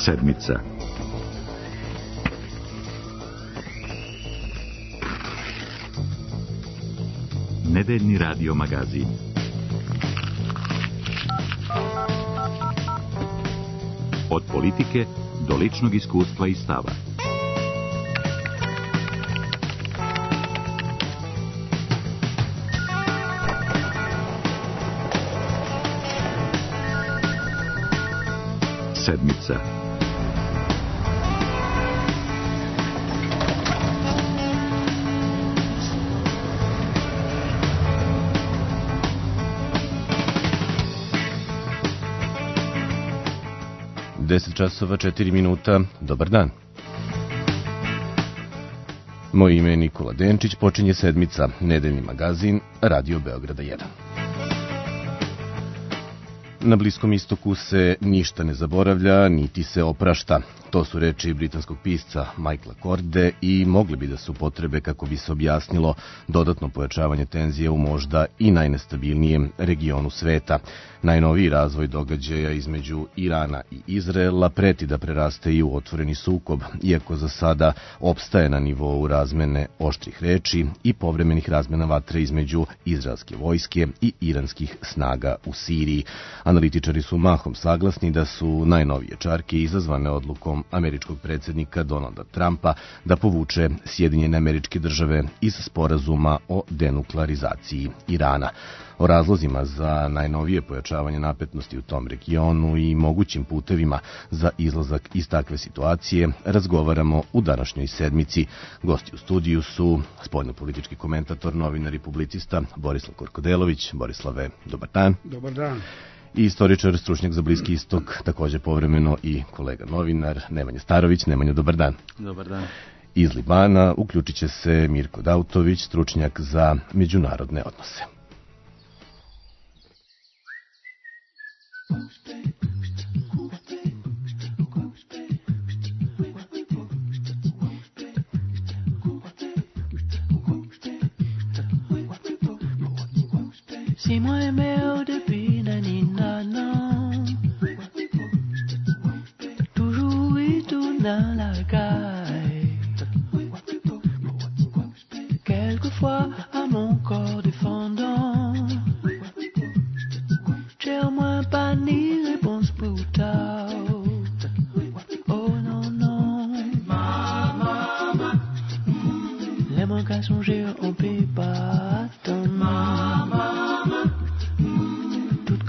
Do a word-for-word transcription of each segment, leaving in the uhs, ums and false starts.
Sedmica. Nedeljni radio magazin. Od politike do ličnog iskustva i stava. Sedmica. deset časova četiri minuta. Dobar dan. Moje ime je Nikola Denčić, počinje Sedmica, nedeljni magazin Radio Beograda jedan. Na Bliskom istoku se ništa ne zaboravlja, niti se oprašta. To su reči britanskog pisca Michaela Corde i mogli bi da su potrebe kako bi se objasnilo dodatno pojačavanje tenzije u možda i najnestabilnijem regionu sveta. Najnoviji razvoj događaja između Irana i Izraela preti da preraste i u otvoreni sukob, iako za sada opstaje na nivou razmene oštrih reči i povremenih razmena vatre između izraelske vojske i iranskih snaga u Siriji. Analitičari su mahom saglasni da su najnovije čarke izazvane odlukom američkog predsjednika Donalda Trumpa da povuče Sjedinjene Američke Države iz sporazuma o denuklearizaciji Irana. O razlozima za najnovije pojačavanje napetnosti u tom regionu i mogućim putevima za izlazak iz takve situacije razgovaramo u današnjoj Sedmici. Gosti u studiju su spoljnopolitički komentator, novinar i publicista Borislav Korkodelović. Borislave, dobar dan. Dobar dan. I istoričar, stručnjak za Bliski istok, također povremeno i kolega novinar Nemanja Starović. Nemanja, dobar dan. Dobar dan. Iz Libana uključit će se Mirko Dautović, stručnjak za međunarodne odnose. Si moi aimé depuis naninana, toujours et tout dans la caille. Quelquefois à mon corps défendant, j'ai au moins pas ni réponse pour ta. Oh non non, maman, les mots qu'à songer on peut pas attendre.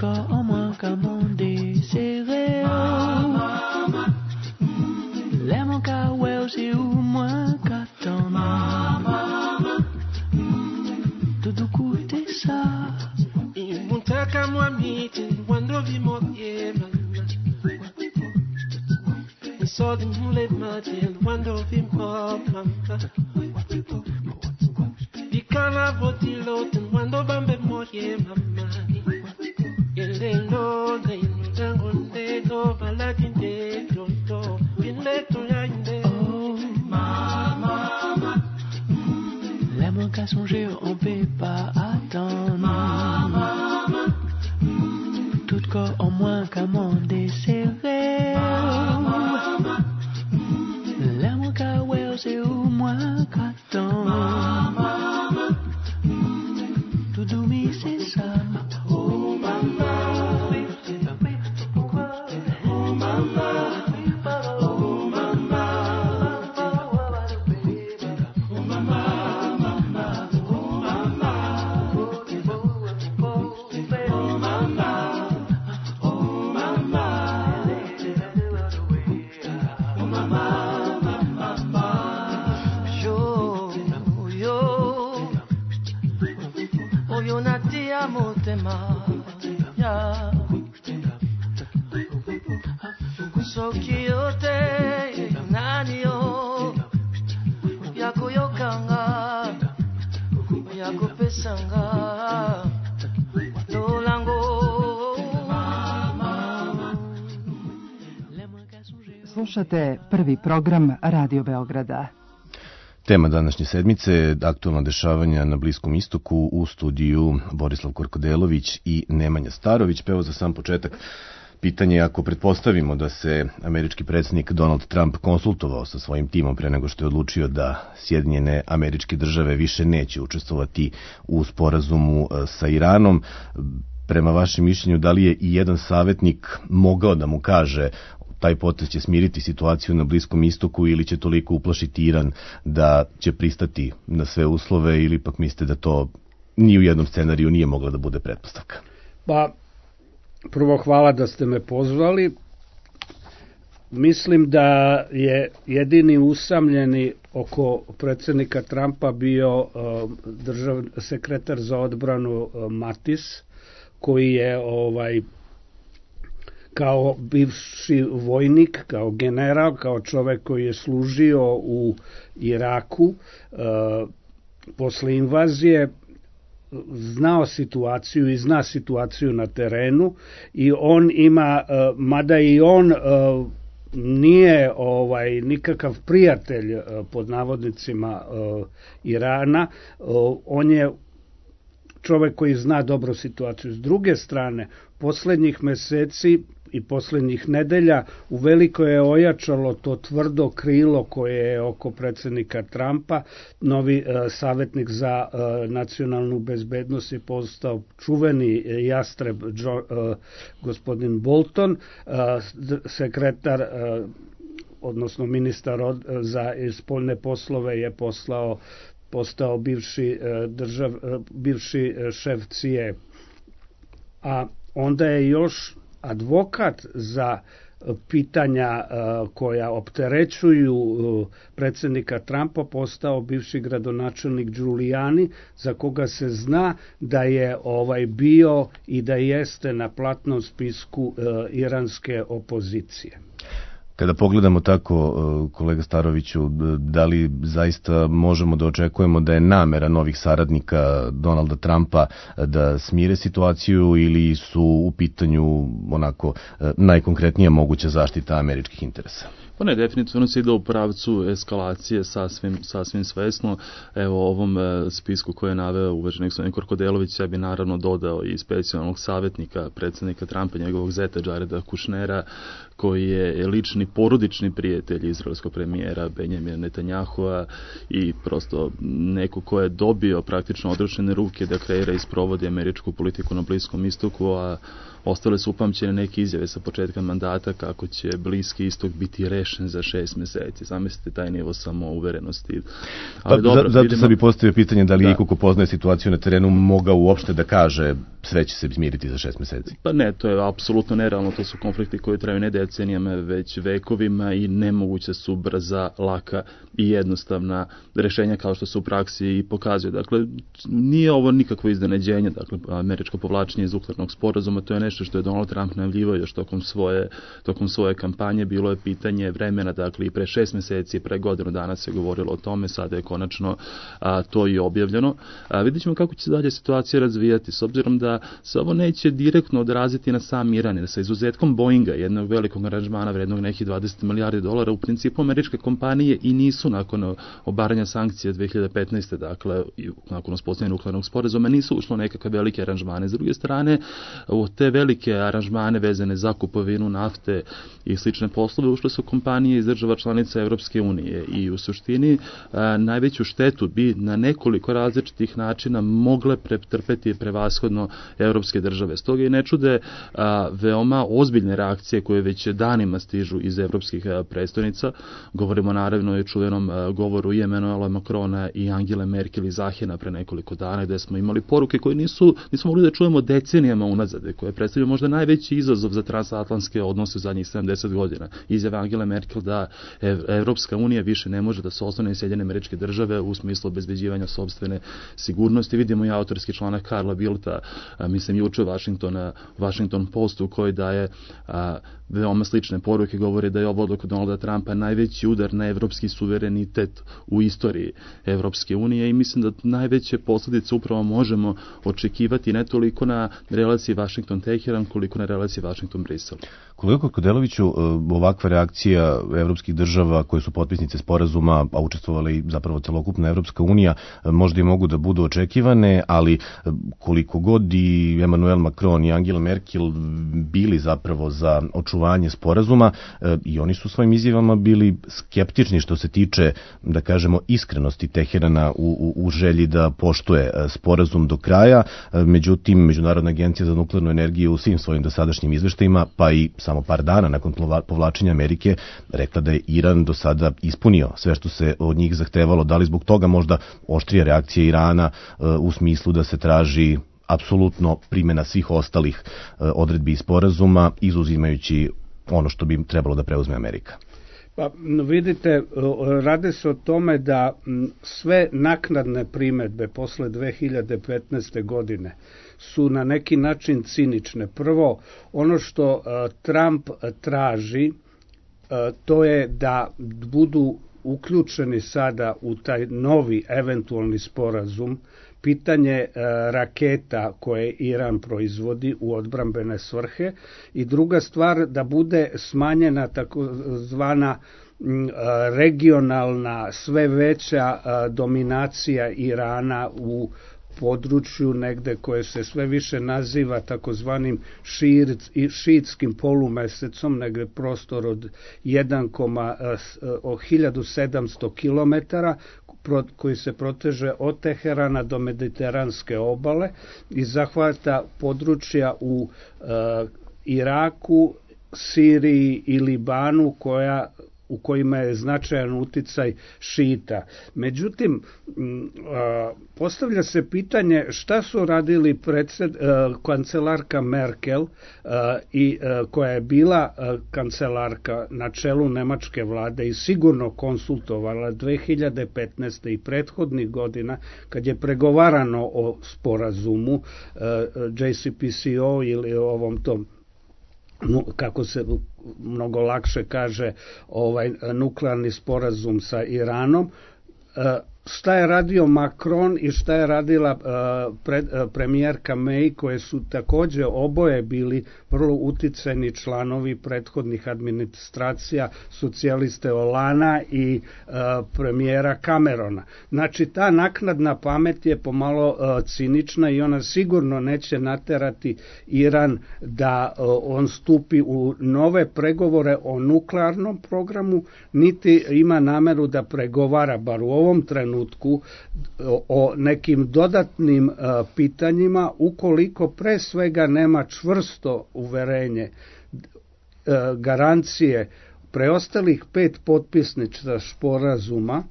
En moins qu'à mon désiré, les mon cas ouais c'est ou moins qu'attendre. Tout écouter ça. Il monta qu'à moi miti, quando vi morrie mamma. Il sort de mon les matins, quando vi morrie mamma. Di cana voti l'automne, quando bambe morrie mamma. Yelendo na indango nego baladinde tonto bineto yainde. Oh maman, l'amour qu'à songer on peut pas attendre. Maman, tout corps en moins qu'à mon désiré. Maman, l'amour qu'à ouais c'est au moins qu'attendre. Maman, tout dormi c'est ça. Oh maman. Slušate prvi program Radio Beograda. Tema današnje sedmice je aktualna dešavanja na Bliskom istoku, u studiju Borislav Korkodelović i Nemanja Starović. Pa evo za sam početak Pitanje je, ako pretpostavimo da se američki predsjednik Donald Trump konsultovao sa svojim timom pre nego što je odlučio da Sjedinjene Američke Države više neće učestvovati u sporazumu sa Iranom, prema vašem mišljenju, da li je i jedan savjetnik mogao da mu kaže taj potez će smiriti situaciju na Bliskom istoku ili će toliko uplašiti Iran da će pristati na sve uslove, ili pak mislite da to ni u jednom scenariju nije mogla da bude pretpostavka? Pa, prvo hvala da ste me pozvali. Mislim da je jedini usamljeni oko predsjednika Trumpa bio uh, držav, sekretar za odbranu uh, Mattis, koji je ovaj kao bivši vojnik, kao general, kao čovjek koji je služio u Iraku uh, posle invazije, znao situaciju i zna situaciju na terenu, i on ima, uh, mada i on uh, nije ovaj nikakav prijatelj uh, pod navodnicima uh, Irana, uh, on je čovjek koji zna dobro situaciju. S druge strane, posljednjih meseci i posljednjih nedelja uveliko je ojačalo to tvrdo krilo koje je oko predsjednika Trumpa. Novi uh, savjetnik za uh, nacionalnu bezbednost je postao čuveni jastreb Joe, uh, gospodin Bolton, uh, sekretar uh, odnosno ministar od, za spoljne poslove je poslao postao bivši držav, bivši šef C I A. A onda je još advokat za pitanja koja opterećuju predsjednika Trumpa postao bivši gradonačelnik Giuliani, za koga se zna da je ovaj bio i da jeste na platnom spisku iranske opozicije. Kada pogledamo tako, kolega Staroviću, da li zaista možemo da očekujemo da je namera novih saradnika Donalda Trumpa da smire situaciju, ili su u pitanju onako najkonkretnija moguća zaštita američkih interesa? Pa ne, definitivno se ide u pravcu eskalacije sasvim, sasvim svesno. Evo, ovom e, spisku koje je naveo uvaženi gospodin Korkodelović, ja bi naravno dodao i specijalnog savjetnika predsjednika Trumpa, njegovog zeta Jareda Kushnera, koji je lični porodični prijatelj izraelskog premijera Benjamina Netanyahua i prosto neko ko je dobio praktično odrešene ruke da kreira i sprovodi američku politiku na Bliskom istoku, a ostale su upamćene neke izjave sa početka mandata kako će Bliski istok biti rešen za šest meseci. Zamislite taj nivo samouverenosti. Ali pa, dobro, zato vidimo... sam bi postavio pitanje da li da. iko ko poznaje situaciju na terenu mogao uopšte da kaže sve će se izmiriti za šest meseci. Pa ne, to je apsolutno nerealno. To su konflikti koji traju ne decenijama, već vekovima, i nemoguće su brza, laka i jednostavna rešenja kao što se u praksi i pokazuje. Dakle, nije ovo nikakvo iznenađenje. Dakle, američko povlačenje iz nuklearnog sporazuma, to je nešto što je Donald Trump najavljivao još tokom svoje, tokom svoje kampanje. Bilo je pitanje vremena, dakle i pre šest meseci, pre godinu dana se govorilo o tome, sada je konačno a, to i objavljeno. A, vidjet ćemo kako će se dalje situacija razvijati, s obzirom da se ovo neće direktno odraziti na sam Iran, sa izuzetkom Boeinga, jednog velikog aranžmana vrednog nekih dvadeset milijardi dolara, u principu američke kompanije i nisu nakon obaranja sankcija dve hiljade petnaeste. dakle, nakon uspostavljanja nuklearnog sporazuma, nisu ušlo nekakve velike aranžmane. S druge strane, u te velike aranžmane vezane za kupovinu nafte i slične poslove ušle su kompanije iz država članica Evropske unije, i u suštini a, najveću štetu bi na nekoliko različitih načina mogle pretrpeti prevashodno evropske države. Stoga i ne čude a, veoma ozbiljne reakcije koje već danima stižu iz evropskih a, prestolnica. Govorimo naravno i o čuvenom a, govoru i Emmanuela Macrona i Angele Merkel iz Ahena pre nekoliko dana, gde smo imali poruke koje nisu, nismo mogli da čujemo decenijama unazad, koje predstavljaju možda najveći izazov za transatlantske odnose zadnjih sedamdeset godina. Izjava Angele Merkel da Evropska unija više ne može da se oslone na Sjedinjene Američke Države u smislu obezbeđivanja sopstvene sigurnosti. Vidimo i autorski članak Karla Bildta, a, mislim juče Washingtona, Washington Postu, koji daje a, veoma veoma slične poruke govore da je ovo odluka Donalda Trumpa najveći udar na evropski suverenitet u istoriji Evropske unije i mislim da najveće posljedice upravo možemo očekivati ne toliko na relaciji Washington-Teheran koliko na relaciji Washington-Brisel. Kolega Korkodeleviću, ovakva reakcija evropskih država koje su potpisnice sporazuma, a učestvovali i zapravo celokupna Evropska unija, možda i mogu da budu očekivane, ali koliko god i Emmanuel Macron i Angela Merkel bili zapravo za očuvanje sporazuma, i oni su svojim izjavama bili skeptični što se tiče, da kažemo, iskrenosti Teherana u, u, u želji da poštuje sporazum do kraja. Međutim, Međunarodna agencija za nuklearnu energiju u svim svojim dosadašnjim izveštajima, pa i samo par dana nakon povlačenja Amerike, rekla da je Iran do sada ispunio sve što se od njih zahtevalo. Da li zbog toga možda oštrija reakcija Irana u smislu da se traži apsolutno primjena svih ostalih odredbi i sporazuma, izuzimajući ono što bi trebalo da preuzme Amerika? Pa vidite, radi se o tome da sve naknadne primedbe posle dve hiljade petnaeste. godine su na neki način cinične. Prvo, ono što Trump traži, to je da budu uključeni sada u taj novi eventualni sporazum pitanje raketa koje Iran proizvodi u odbrambene svrhe i druga stvar da bude smanjena takozvana regionalna sve veća dominacija Irana u području negde koje se sve više naziva takozvanim šiitskim polumesecom, negde prostor od hiljadu sedamsto kilometara koji se proteže od Teherana do Mediteranske obale i zahvata područja u e, Iraku, Siriji i Libanu koja u kojima je značajan uticaj šita. Međutim, postavlja se pitanje šta su radili predsed, kancelarka Merkel i koja je bila kancelarka na čelu nemačke vlade i sigurno konsultovala dve hiljade petnaeste. i prethodnih godina kad je pregovarano o sporazumu J C P C O ili ovom tom, kako se mnogo lakše kaže, ovaj nuklearni sporazum sa Iranom. Šta je radio Macron i šta je radila uh, pred, uh, premijerka May, koje su takođe oboje bili vrlo uticajni članovi prethodnih administracija socijaliste Holanda i uh, premijera Camerona. Znači ta naknadna pamet je pomalo uh, cinična i ona sigurno neće naterati Iran da uh, on stupi u nove pregovore o nuklearnom programu, niti ima nameru da pregovara, bar u ovom trenutku, o nekim dodatnim uh, pitanjima ukoliko pre svega nema čvrsto uverenje, uh, garancije preostalih pet potpisnica sporazuma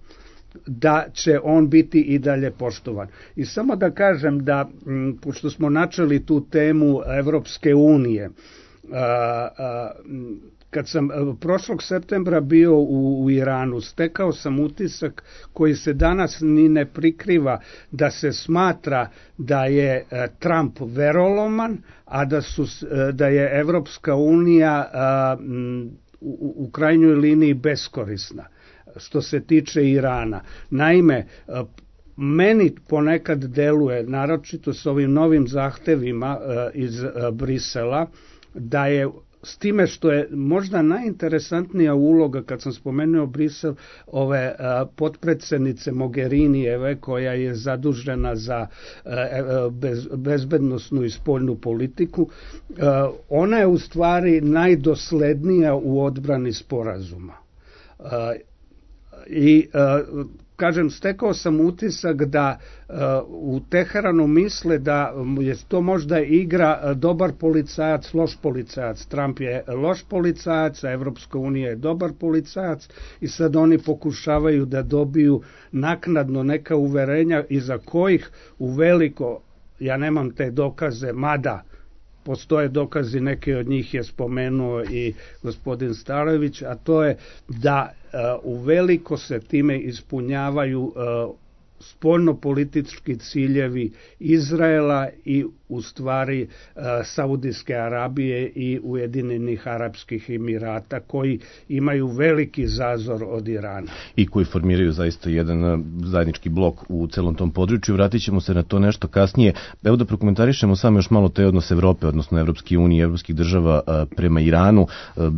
da će on biti i dalje poštovan. I samo da kažem da, m, pošto smo načeli tu temu Evropske unije, uh, uh, kad sam prošlog septembra bio u, u Iranu, stekao sam utisak koji se danas ni ne prikriva, da se smatra da je Trump veroloman, a da, su, da je Evropska unija a, u, u krajnjoj liniji beskorisna što se tiče Irana. Naime, meni ponekad deluje, naročito s ovim novim zahtevima a, iz a, Brisela, da je s time što je možda najinteresantnija uloga, kad sam spomenuo Brisel, ove a, potpredsednice Mogherinijeve, koja je zadužena za a, bez, bezbednosnu i spoljnu politiku, a, ona je u stvari najdoslednija u odbrani sporazuma. A, I a, kažem, stekao sam utisak da uh, u Teheranu misle da je to možda igra dobar policajac, loš policajac. Trump je loš policajac, a Evropska unija je dobar policajac i sad oni pokušavaju da dobiju naknadno neka uverenja iza kojih u veliko, ja nemam te dokaze, mada postoje dokazi, neki od njih je spomenuo i gospodin Starović, a to je da uh, u veliko se time ispunjavaju uh, spoljnopolitički ciljevi Izraela i u stvari Saudijske Arabije i Ujedinjenih Arapskih Emirata, koji imaju veliki zazor od Irana. I koji formiraju zaista jedan zajednički blok u celom tom području. Vratit ćemo se na to nešto kasnije. Evo da prokomentarišemo samo još malo taj odnos Evrope, odnosno Evropske unije i evropskih država prema Iranu.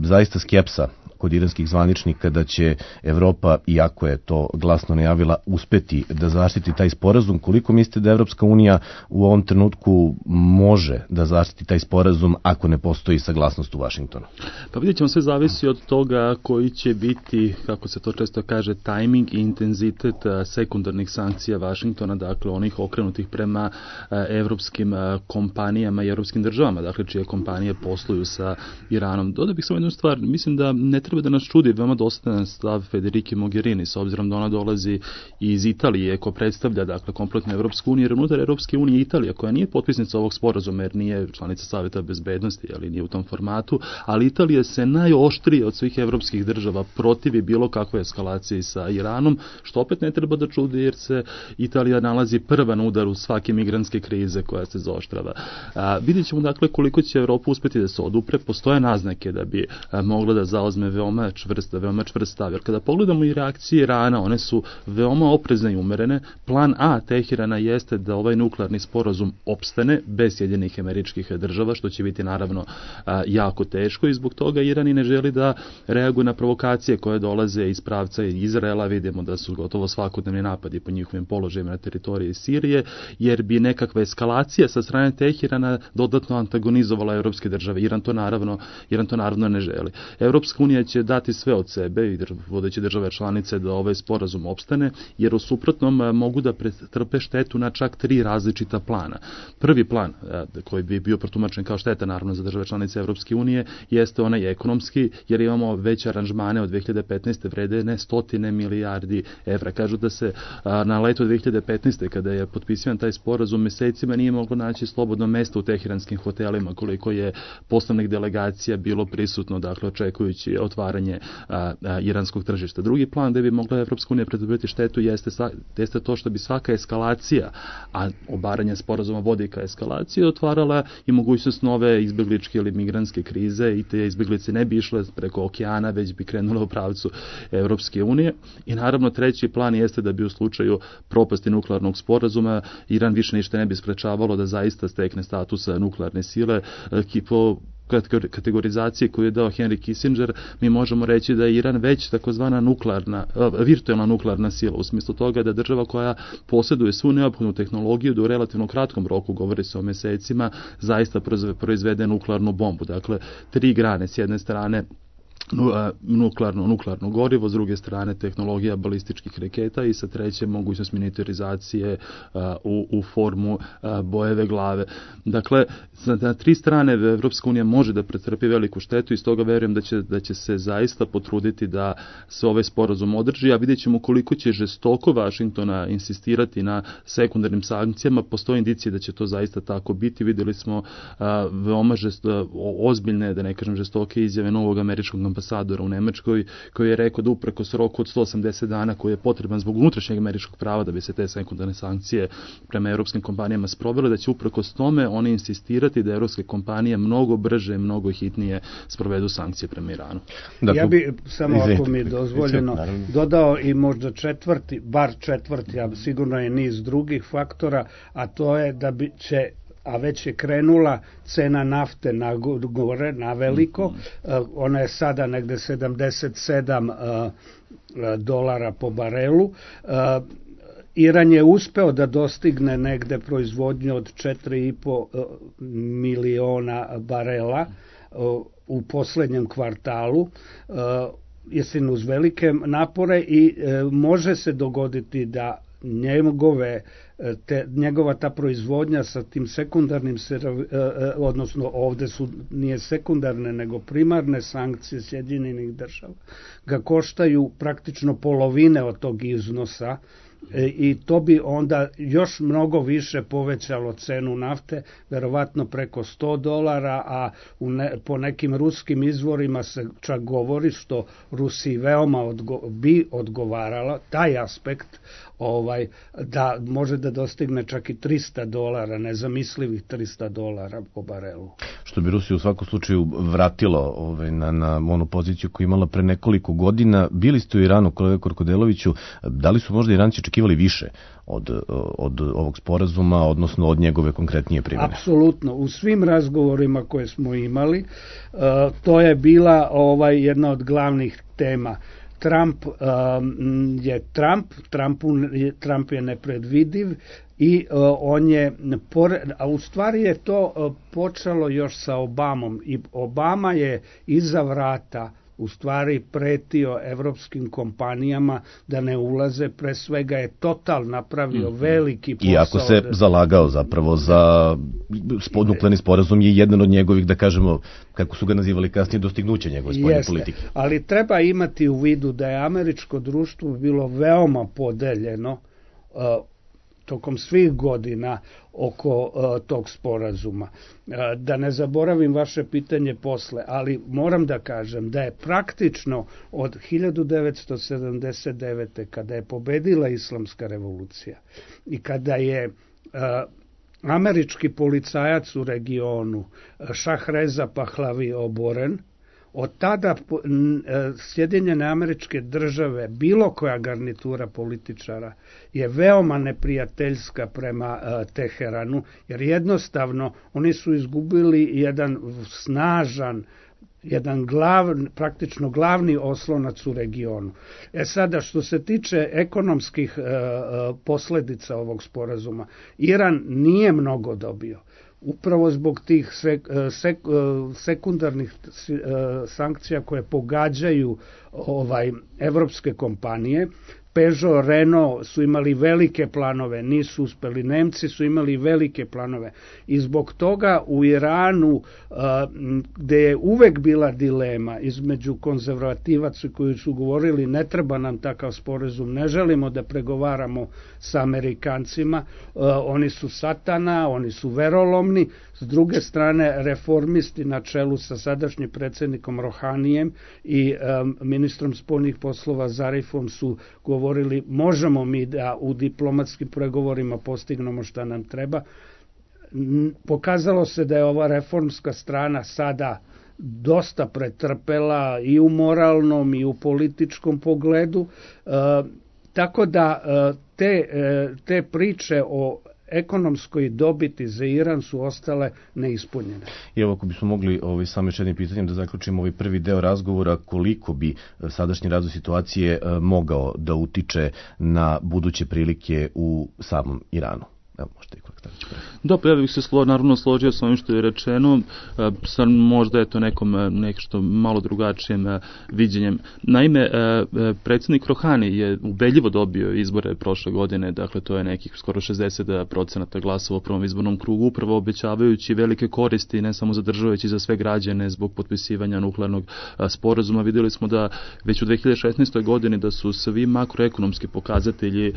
Zaista skepsa kod iranskih zvaničnika da će Evropa, iako je to glasno najavila, uspeti da zaštiti taj sporazum. Koliko mislite da Evropska unija u ovom trenutku može da zaštiti taj sporazum ako ne postoji saglasnost u Vašingtonu? Pa vidjet ćemo, sve zavisi od toga koji će biti, kako se to često kaže, tajming i intenzitet sekundarnih sankcija Vašingtona, dakle onih okrenutih prema evropskim kompanijama i evropskim državama, dakle čije kompanije posluju sa Iranom. Dodao bih samo jednu stvar, mislim da ne treba da nas čudi veoma dosadan stav Federike Mogherini, s obzirom da ona dolazi iz Italije, ko predstavlja dakle kompletnu Evropsku uniju, jer unutar Evropske unije Italija, koja nije potpisnica ovog sporazuma, jer nije članica Saveta bezbednosti, ali nije u tom formatu, ali Italija se najoštrije od svih evropskih država protivi bilo kakve eskalacije sa Iranom, što opet ne treba da čudi, jer se Italija nalazi prva na udaru svake migrantske krize koja se zaoštrava. A, vidjet ćemo dakle koliko će Evropa uspeti da se odupre. Postoje naznake da bi a, mogla da zauzme veoma čvrsta, veoma čvrst stav. Jer kada pogledamo i reakcije Irana, one su veoma oprezne i umerene. Plan A Teherana jeste da ovaj nuklearni sporazum opstane bez Sjedinjenih Američkih Država, što će biti naravno a, jako teško, i zbog toga Iran i ne želi da reaguje na provokacije koje dolaze iz pravca Izraela. Vidimo da su gotovo svakodnevni napadi po njihovim položajima na teritoriji Sirije, jer bi nekakva eskalacija sa strane Teherana dodatno antagonizovala evropske države. Iran to naravno, Iran to naravno ne želi. Evropska unija će dati sve od sebe i vodeće države članice da ovaj sporazum opstane, jer u suprotnom mogu da pretrpe štetu na čak tri različita plana. Prvi plan, koji bi bio protumačen kao šteta naravno za države članice Evropske unije, jeste onaj ekonomski, jer imamo veće aranžmane od dve hiljade petnaeste vrede ne stotine milijardi evra. Kažu da se na leto dve hiljade petnaeste kada je potpisivan taj sporazum mesecima nije moglo naći slobodno mesto u teheranskim hotelima, koliko je poslovnih delegacija bilo prisutno, dakle očekujući otvaranje a, a, iranskog tržišta. Drugi plan gde bi mogla Evropska unija pretrpeti štetu jeste, sa, jeste to što bi svaka eskalacija, a obaranje sporazuma vodi ka eskalaciji, otvarala i mogućnost nove izbegličke ili migrantske krize, i te izbeglice ne bi išle preko okeana, već bi krenule u pravcu Evropske unije. I naravno treći plan jeste da bi u slučaju propasti nuklearnog sporazuma Iran više ništa ne bi sprečavalo da zaista stekne status nuklearne sile. Po kategorizacije koju je dao Henry Kissinger, mi možemo reći da je Iran već takozvana nuklearna, virtualna nuklearna sila, u smislu toga da država koja posjeduje svu neophodnu tehnologiju da u relativno kratkom roku, govori se o mesecima, zaista proizvede nuklearnu bombu. Dakle, tri grane, s jedne strane nuklearno, nuklearno gorivo, s druge strane tehnologija balističkih raketa i sa treće mogućnost miniaturizacije uh, u, u formu uh, bojeve glave. Dakle, na tri strane Evropska unija može da pretrpi veliku štetu i stoga verujem da će, da će se zaista potruditi da se ovaj sporazum održi, a vidjet ćemo koliko će žestoko Vašingtona insistirati na sekundarnim sankcijama. Postoje indicije da će to zaista tako biti. Vidjeli smo uh, veoma žesto, ozbiljne, da ne kažem žestoke izjave novog američkog ambasadora u Nemačkoj, koji je rekao da uprkos roku od sto osamdeset dana koji je potreban zbog unutrašnjeg američkog prava da bi se te sekundarne sankcije prema evropskim kompanijama sprovele, da će uprkos tome oni insistirati da evropske kompanije mnogo brže, mnogo hitnije sprovedu sankcije prema Iranu. Dakle, ja bi samo, ako mi je dozvoljeno, dodao i možda četvrti, bar četvrti, a sigurno je niz drugih faktora, a to je da bi će, a već je krenula cena nafte na gore, na veliko. Mm-hmm. Ona je sada negde sedamdeset sedam dolara po barelu. Iran je uspeo da dostigne negde proizvodnju od četiri i po miliona barela u poslednjem kvartalu, istina uz velike napore, i može se dogoditi da njegove te, njegova ta proizvodnja sa tim sekundarnim, odnosno ovde su nije sekundarne nego primarne sankcije Sjedinjenih država, ga koštaju praktično polovine od tog iznosa, i to bi onda još mnogo više povećalo cenu nafte, verovatno preko sto dolara, a u ne, po nekim ruskim izvorima se čak govori, što Rusiji veoma odgo, bi odgovaralo taj aspekt ovaj, da može da dostigne čak i trista dolara, nezamislivih trista dolara po barelu. Što bi Rusiju u svakom slučaju vratilo ovaj, na, na onu poziciju koju imala pre nekoliko godina. Bili ste u Iranu, kolega Korkodeloviću, da li su možda Iranci očekivali više od, od ovog sporazuma, odnosno od njegove konkretnije primjene? Apsolutno. U svim razgovorima koje smo imali, to je bila ovaj, jedna od glavnih tema. Trump um, je Trump, Trumpu, Trump je nepredvidiv i uh, on je, a u stvari je to uh, počelo još sa Obamom i Obama je iza vrata u stvari pretio evropskim kompanijama da ne ulaze, pre svega je Total napravio mm-hmm. veliki posao. Iako se da... zalagao zapravo za nuklearni sporazum je jedan od njegovih, da kažemo, kako su ga nazivali kasnije, dostignuća njegove spoljne Jeste, politike. Ali treba imati u vidu da je američko društvo bilo veoma podeljeno uh, tokom svih godina oko uh, tog sporazuma. Uh, da ne zaboravim vaše pitanje posle, ali moram da kažem da je praktično od hiljadu devetsto sedamdeset devete. kada je pobedila islamska revolucija i kada je uh, američki policajac u regionu Šahreza Pahlavi oboren, od tada Sjedinjene Američke Države, bilo koja garnitura političara, je veoma neprijateljska prema Teheranu, jer jednostavno oni su izgubili jedan snažan, jedan glavni, praktično glavni oslonac u regionu. E sada, što se tiče ekonomskih e, posledica ovog sporazuma, Iran nije mnogo dobio. Upravo zbog tih sek, sek, sekundarnih sankcija koje pogađaju ovaj evropske kompanije. Peugeot, Renault su imali velike planove, nisu uspeli. Nemci su imali velike planove i zbog toga u Iranu, gde je uvek bila dilema između konzervativaca koji su govorili ne treba nam takav sporazum, ne želimo da pregovaramo sa Amerikancima, oni su satana, oni su verolomni. S druge strane, reformisti na čelu sa sadašnjim predsjednikom Rohanijem i um, ministrom spoljnih poslova Zarifom su govorili možemo mi da u diplomatskim pregovorima postignemo šta nam treba. Pokazalo se da je ova reformska strana sada dosta pretrpela i u moralnom i u političkom pogledu, uh, tako da uh, te, uh, te priče o ekonomskoj dobiti za Iran su ostale neispunjene. I evo, ako bismo mogli ovaj, samo još jednim pitanjem da zaključimo ovaj prvi deo razgovora, koliko bi sadašnji razvoj situacije mogao da utiče na buduće prilike u samom Iranu? Evo, možete i kolega Stavić. Da, pa ja bih se slo, naravno složio sa ovim što je rečeno, sad možda je to nekom nešto malo drugačijem viđenjem. Naime, predsjednik Rohani je ubedljivo dobio izbore prošle godine, dakle to je nekih skoro šezdeset procenata glasova u prvom izbornom krugu, upravo obećavajući velike koristi ne samo za državu, već i za sve građane zbog potpisivanja nuklearnog sporazuma. Vidjeli smo da već u dve hiljade šesnaestoj godini da su svi makroekonomski pokazatelji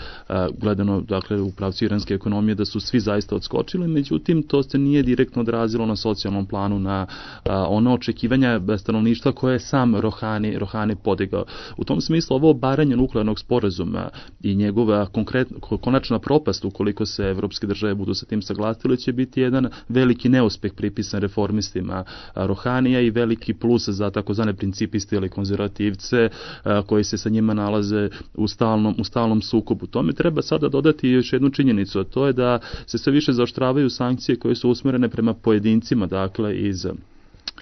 gledano, dakle u pravcu iranske ekonomije, da su svi zaista odskočili, međutim to se nije direktno odrazilo na socijalnom planu, na a, ona očekivanja stanovništva koje je sam Rohani, Rohani podigao. U tom smislu ovo obaranje nuklearnog sporazuma i njegova konkret, konačna propast ukoliko se evropske države budu sa tim saglasile će biti jedan veliki neuspeh pripisan reformistima Rohanija i veliki plus za takozvane principiste ili konzervativce a, koji se sa njima nalaze u stalnom, u stalnom sukobu. Tome treba sada dodati još jednu činjenicu, a to je da se sve više zaoštravaju sankcije koje su usmjerene prema pojedincima, dakle iz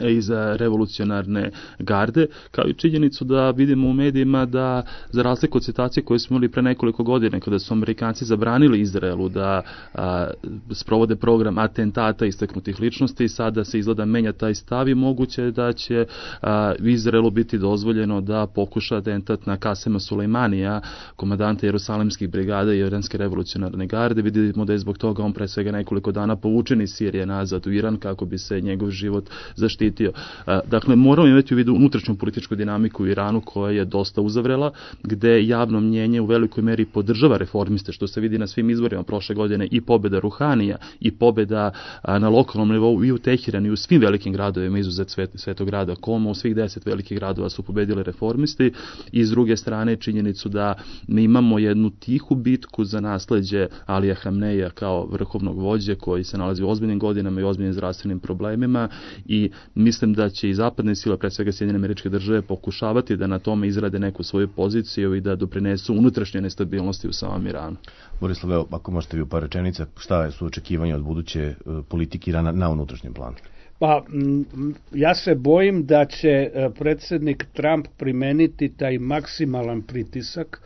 iz revolucionarne garde, kao i činjenicu da vidimo u medijima da za razliku od situacije koje smo imali pre nekoliko godina kada su Amerikanci zabranili Izraelu da a, sprovode program atentata istaknutih ličnosti, sada se izgleda menja taj stav i moguće da će a, Izraelu biti dozvoljeno da pokuša atentat na Kasema Sulejmanija, komandanta Jerusalimskih brigada i Iranske revolucionarne garde. Vidimo da je zbog toga on pre svega nekoliko dana povučen iz Sirije nazad u Iran kako bi se njegov život zaštitio zaštitio. Dakle, moramo imati u vidu unutrašnju političku dinamiku u Iranu koja je dosta uzavrela, gde javno mnjenje u velikoj meri podržava reformiste, što se vidi na svim izborima prošle godine, i pobjeda Ruhanija i pobjeda na lokalnom nivou i u Tehiranu i u svim velikim gradovima, izuzet svet, svetog grada Koma, u svih deset velikih gradova su pobedili reformisti, i s druge strane činjenicu da mi imamo jednu tihu bitku za nasleđe Alija Hamneja kao vrhovnog vođe koji se nalazi u ozbiljnim godinama i ozbiljnim zdravstvenim problemima, i mislim da će i zapadne sile, pre svega Sjedinjene Američke Države, pokušavati da na tome izrade neku svoju poziciju i da doprinesu unutrašnje nestabilnosti u samom Iranu. Borislav, evo, ako možete vi u par rečenica, šta su očekivanja od buduće politike Irana na unutrašnjem planu? Pa, ja se bojim da će predsjednik Trump primeniti taj maksimalan pritisak,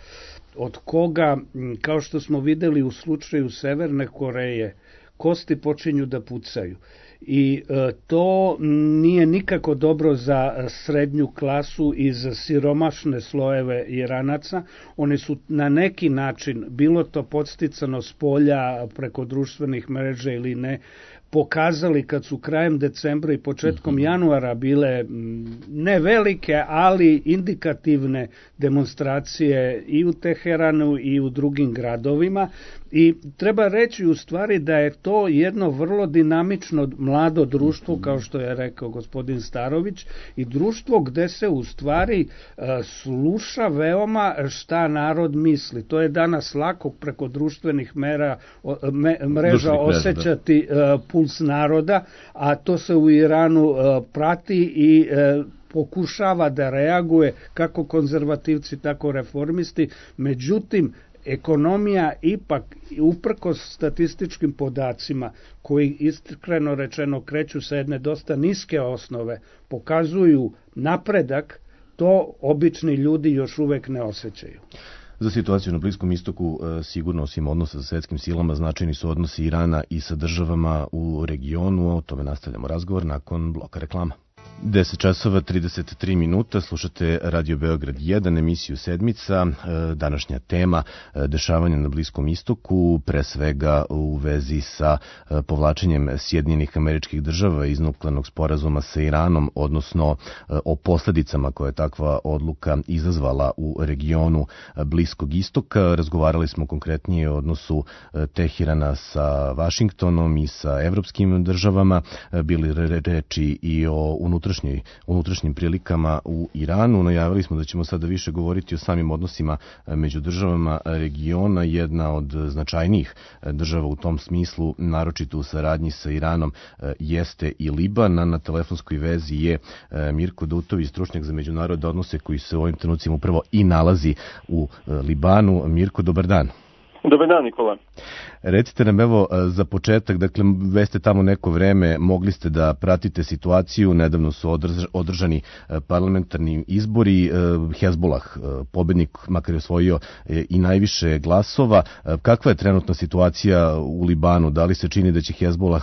od koga, kao što smo videli u slučaju Severne Koreje, kosti počinju da pucaju. I e, to nije nikako dobro za srednju klasu i za siromašne slojeve Iranaca. Oni su na neki način, bilo to podsticano s polja preko društvenih mreža ili ne, pokazali kad su krajem decembra i početkom januara bile ne velike, ali indikativne demonstracije i u Teheranu i u drugim gradovima. I treba reći u stvari da je to jedno vrlo dinamično mlado društvo, kao što je rekao gospodin Starović, i društvo gde se u stvari uh, sluša veoma šta narod misli. To je danas lako preko društvenih mera, me, mreža osjećati uh, puls naroda, a to se u Iranu uh, prati i uh, pokušava da reaguje kako konzervativci, tako reformisti. Međutim, ekonomija ipak, uprkos statističkim podacima, koji iskreno rečeno kreću sa jedne dosta niske osnove, pokazuju napredak, to obični ljudi još uvek ne osjećaju. Za situaciju na Bliskom istoku, sigurno osim odnosa sa svetskim silama, značajni su odnosi Irana i sa državama u regionu. O tome nastavljamo razgovor nakon bloka reklama. deset časova trideset tri minuta, slušate Radio Beograd jedan, emisiju Sedmica. Današnja tema dešavanja na Bliskom istoku, pre svega u vezi sa povlačenjem Sjedinjenih Američkih Država iz nuklearnog sporazuma sa Iranom, odnosno o posledicama koje je takva odluka izazvala u regionu Bliskog istoka. Razgovarali smo konkretnije o odnosu Tehirana sa Vašingtonom i sa evropskim državama, bili reči i o unutrašnjoj unutrašnjim prilikama u Iranu. Najavili smo da ćemo sada više govoriti o samim odnosima među državama regiona. Jedna od značajnijih država u tom smislu, naročito u saradnji sa Iranom, jeste i Liban. Na telefonskoj vezi je Mirko Dutović, stručnjak za međunarodne odnose, koji se u ovim trenucima upravo i nalazi u Libanu. Mirko, dobar dan. Dobar dan, Nikola. Recite nam, evo, za početak, dakle, već ste tamo neko vreme, mogli ste da pratite situaciju, nedavno su održani parlamentarni izbori, Hezbolah, pobednik, makar je osvojio i najviše glasova. Kakva je trenutna situacija u Libanu? Da li se čini da će Hezbolah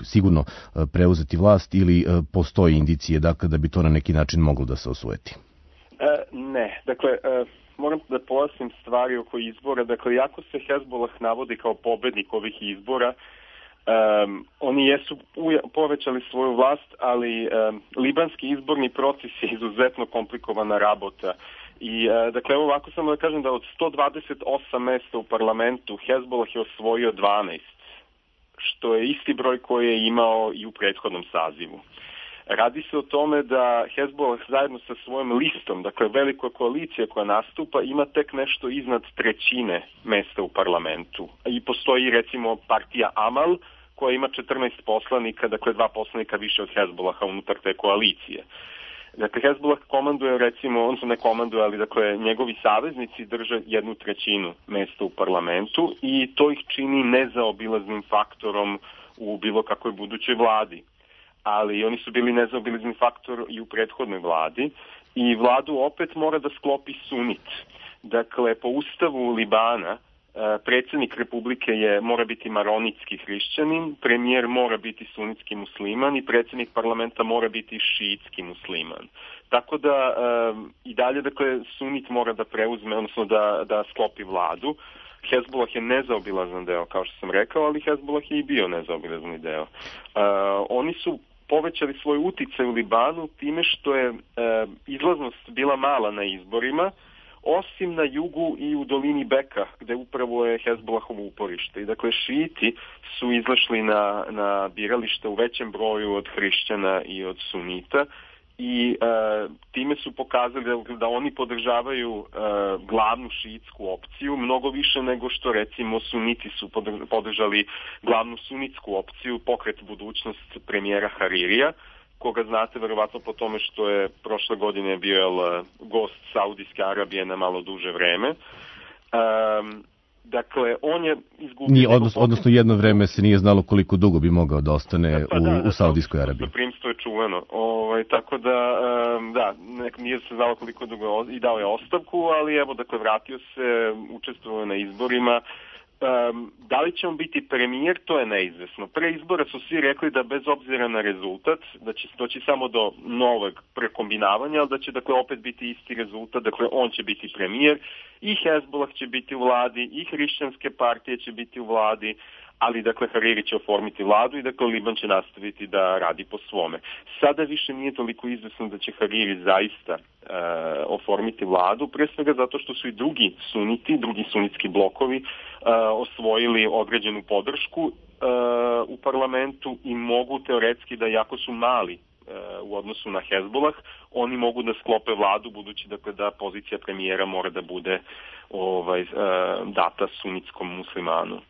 sigurno preuzeti vlast ili postoji indicije, dakle, da bi to na neki način moglo da se osvojiti? E, ne, dakle... E... Moram da pojasnim stvari oko izbora. Dakle, jako se Hezbolah navodi kao pobednik ovih izbora, um, oni jesu uja, povećali svoju vlast, ali um, libanski izborni proces je izuzetno komplikovana rabota. I, uh, dakle, evo ovako samo da kažem da od sto dvadeset osam mesta u parlamentu Hezbolah je osvojio dvanaest, što je isti broj koji je imao i u prethodnom sazivu. Radi se o tome da Hezbolah zajedno sa svojom listom, dakle velika koalicija koja nastupa, ima tek nešto iznad trećine mesta u parlamentu. I postoji recimo partija Amal koja ima četrnaest poslanika, dakle dva poslanika više od Hezbolaha unutar te koalicije. Dakle, Hezbolah komanduje, recimo, on se ne komanduje, ali dakle njegovi saveznici drže jednu trećinu mesta u parlamentu i to ih čini nezaobilaznim faktorom u bilo kakvoj budućoj vladi. Ali oni su bili nezaobilazni faktor i u prethodnoj vladi i vladu opet mora da sklopi sunit. Dakle, po ustavu Libana predsjednik republike je mora biti maronitski hrišćanin, premijer mora biti sunitski musliman i predsjednik parlamenta mora biti šiitski musliman. Tako da i dalje, dakle, sunit mora da preuzme, odnosno da, da sklopi vladu. Hezbolah je nezaobilazan deo, kao što sam rekao, ali Hezbolah je i bio nezaobilazni deo. Uh, oni su povećali svoj uticaj u Libanu time što je e, izlaznost bila mala na izborima, osim na jugu i u dolini Beka, gde upravo je Hezbollahovo uporište. I dakle, šijiti su izašli na, na biralište u većem broju od hrišćana i od sunita i e, time su pokazali da, da oni podržavaju e, glavnu šiitsku opciju, mnogo više nego što recimo suniti su podržali glavnu sunitsku opciju, pokret budućnost premijera Haririja, koga znate verovatno po tome što je prošle godine bio jel, gost Saudijske Arabije na malo duže vreme. Um, dakle, on je izgubio... Nije, odnos, odnosno jedno vreme se nije znalo koliko dugo bi mogao da ostane pa, u, da, u Saudijskoj Arabiji. Primstvo je čuveno. Ovaj, tako da, um, da, nek, nije se znalo koliko dugo i dao je ostavku, ali evo, dakle, vratio se, učestvovao na izborima. Um, da li će on biti premijer, to je neizvesno. Pre izbora su svi rekli da bez obzira na rezultat, da će doći samo do novog prekombinavanja, ali da će dakle opet biti isti rezultat, dakle on će biti premijer, i Hezbollah će biti u vladi, i hrišćanske partije će biti u vladi, ali dakle Hariri će oformiti vladu i dakle Liban će nastaviti da radi po svome. Sada više nije toliko izvesno da će Hariri zaista e, oformiti vladu, pre svega zato što su i drugi suniti, drugi sunitski blokovi e, osvojili određenu podršku e, u parlamentu i mogu teoretski da, jako su mali e, u odnosu na Hezbollah, oni mogu da sklope vladu, budući dakle da pozicija premijera mora da bude ovaj, e, data sunitskom muslimanu.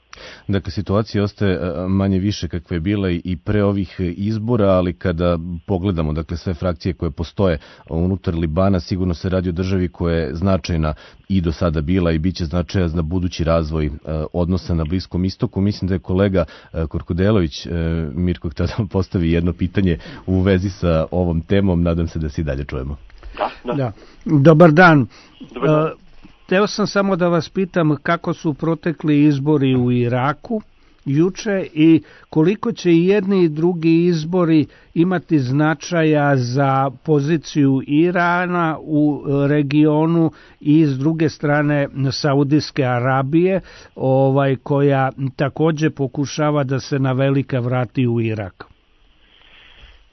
Dakle, situacija ostaje manje više kakva je bila i pre ovih izbora, ali kada pogledamo dakle, sve frakcije koje postoje unutar Libana, sigurno se radi o državi koja je značajna i do sada bila i bit će značaja za budući razvoj odnosa na Bliskom istoku. Mislim da je kolega Korkudelović, Mirko, htio da postavi jedno pitanje u vezi sa ovom temom. Nadam se da se i dalje čujemo. Da, da. Da. Dobar dan. Dobar dan. Uh, Teo sam samo da vas pitam kako su protekli izbori u Iraku juče i koliko će i jedni i drugi izbori imati značaja za poziciju Irana u regionu i s druge strane Saudijske Arabije, ovaj, koja takođe pokušava da se na velika vrati u Irak.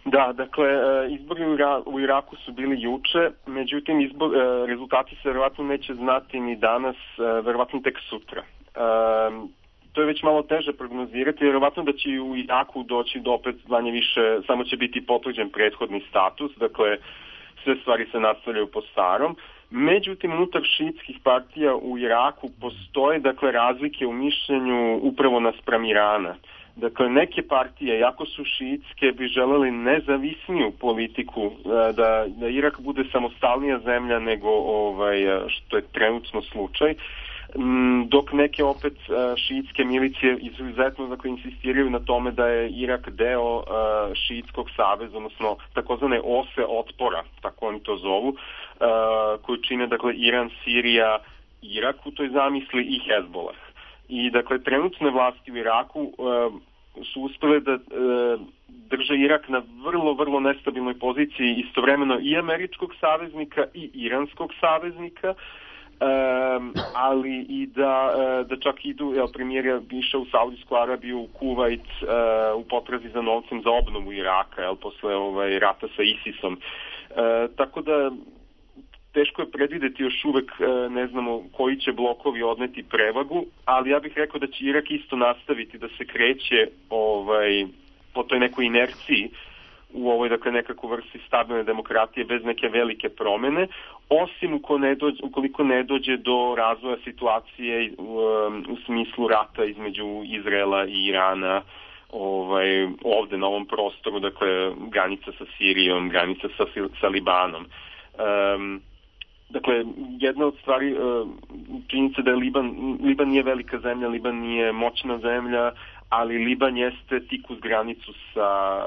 Da, dakle, izbori u Iraku su bili juče, međutim izbor, rezultati se verovatno neće znati ni danas, verovatno tek sutra. To je već malo teže prognozirati, verovatno da će u Iraku doći do opet manje više, samo će biti potvrđen prethodni status, dakle sve stvari se nastavljaju po starom. Međutim, unutar šiitskih partija u Iraku postoje dakle razlike u mišljenju upravo naspram Irana. Dakle, neke partije, jako su šiitske, bi želeli nezavisniju politiku, da, da Irak bude samostalnija zemlja nego ovaj, što je trenutno slučaj, dok neke opet šiitske milicije izuzetno dakle, insistiraju na tome da je Irak deo šiitskog saveza, odnosno takozvane ose otpora, tako oni to zovu, koju čine dakle, Iran, Sirija, Irak u toj zamisli i Hezbollah. I dakle, trenutne vlasti u Iraku uh, su uspjele da uh, drže Irak na vrlo, vrlo nestabilnoj poziciji, istovremeno i američkog saveznika i iranskog saveznika, um, ali i da, uh, da čak idu, jel, premijer je išao u Saudijsku Arabiju, u Kuvajt, uh, u potrazi za novcem za obnovu Iraka, jel, posle ovaj, rata sa ISISom. Uh, tako da teško je predvideti još uvek, ne znamo koji će blokovi odneti prevagu, ali ja bih rekao da će Irak isto nastaviti da se kreće ovaj, po toj nekoj inerciji u ovoj dakle, nekakvu vrsti stabilne demokratije bez neke velike promene, osim ukoliko ne dođe, ukoliko ne dođe do razvoja situacije u, u smislu rata između Izraela i Irana, ovaj, ovde na ovom prostoru, dakle granica sa Sirijom, granica sa, sa Libanom. Um, Dakle, jedna od stvari, činjenica da je Liban, Liban nije velika zemlja, Liban nije moćna zemlja, ali Liban jeste tik uz granicu sa,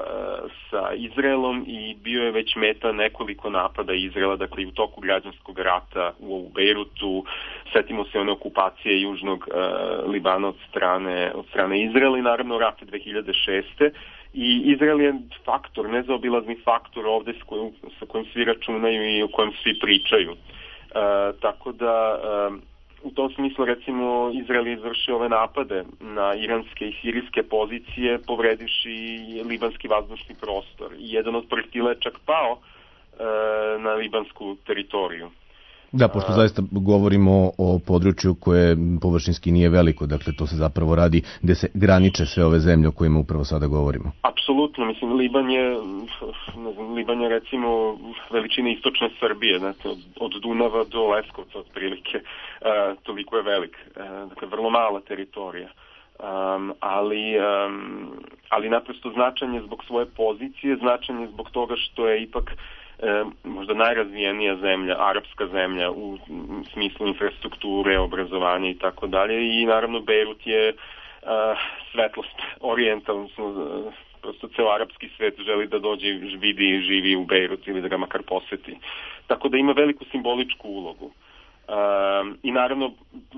sa Izraelom i bio je već meta nekoliko napada Izraela, dakle i u toku građanskog rata u Bejrutu, setimo se one okupacije južnog uh, Libana od strane, od strane Izraela i naravno rata dve hiljade šeste. I Izrael je faktor, nezaobilazni faktor ovde s kojim, sa kojim svi računaju i o kojem svi pričaju. E, tako da e, u tom smislu, recimo, Izrael je izvršio ove napade na iranske i sirijske pozicije, povredivši libanski vazdušni prostor. I jedan od projektila je čak pao e, na libansku teritoriju. Da, pošto zaista govorimo o području koje površinski nije veliko, dakle to se zapravo radi gde se graniče sve ove zemlje o kojima upravo sada govorimo. Apsolutno, mislim, Liban je, ne znam, Liban je recimo veličine istočne Srbije, znači, od, od Dunava do Leskovca otprilike, uh, toliko je velik, uh, dakle vrlo mala teritorija. Um, ali, um, ali naprosto značan je zbog svoje pozicije, značan je zbog toga što je ipak E, možda najrazvijenija zemlja, arapska zemlja u smislu infrastrukture, obrazovanja i tako dalje, i naravno Bejrut je uh, svetlost orijenta, odnosno uh, prosto ceo arapski svet želi da dođe, vidi i živi u Bejrut ili da ga makar poseti. Tako da ima veliku simboličku ulogu. Uh, I naravno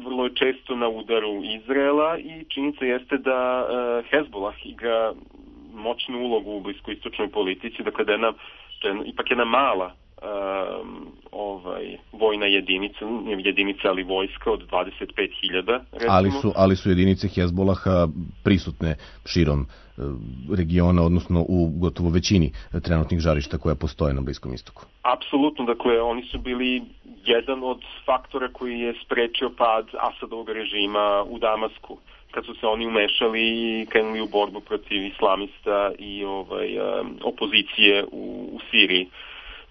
vrlo je često na udaru Izraela i činjenica jeste da uh, Hezbollah igra moćnu ulogu u bliskoistočnoj politici, dakle da je jedna, to je ipak jedna mala um, ovaj, vojna jedinica, jedinica ali vojska od dvadeset pet hiljada. Ali su, ali su jedinice Hezbollaha prisutne širom regiona, odnosno u gotovo većini trenutnih žarišta koja postoje na Bliskom istoku. Apsolutno, dakle oni su bili jedan od faktora koji je sprečio pad Asadovog režima u Damasku, kad su se oni umešali i krenuli u borbu protiv islamista i ovaj, opozicije u, u Siriji.